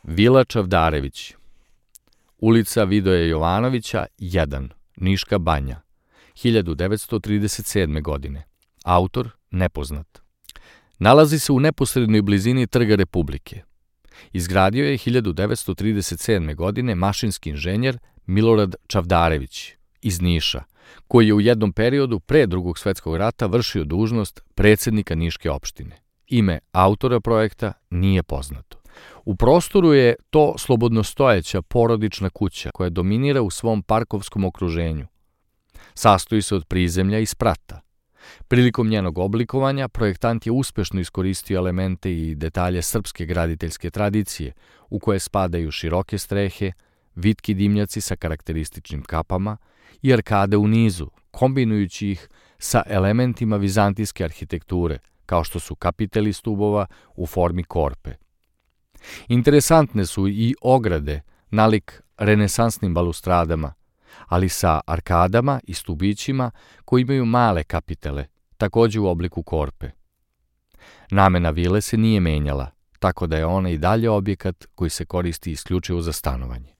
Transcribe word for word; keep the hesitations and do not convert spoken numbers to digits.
Vila Čavdarević, ulica Vidoje Jovanovića, jedan, Niška banja, hiljadu devetsto trideset sedme. godine. Autor nepoznat. Nalazi se u neposrednoj blizini Trga Republike. Izgradio je hiljadu devetsto trideset sedme. godine mašinski inženjer Milorad Čavdarević iz Niša, koji je u jednom periodu pre Drugog svetskog rata vršio dužnost predsjednika Niške opštine. Ime autora projekta nije poznato. U prostoru je to slobodnostojeća porodična kuća koja dominira u svom parkovskom okruženju. Sastoji se od prizemlja i sprata. Prilikom njenog oblikovanja projektant je uspešno iskoristio elemente i detalje srpske graditeljske tradicije, u koje spadaju široke strehe, vitki dimnjaci sa karakterističnim kapama i arkade u nizu, kombinujući ih sa elementima vizantijske arhitekture, kao što su kapiteli stubova u formi korpe. Interesantne su i ograde, nalik renesansnim balustradama, ali sa arkadama i stubićima koji imaju male kapitele, takođe u obliku korpe. Namena vile se nije menjala, tako da je ona i dalje objekat koji se koristi isključivo za stanovanje.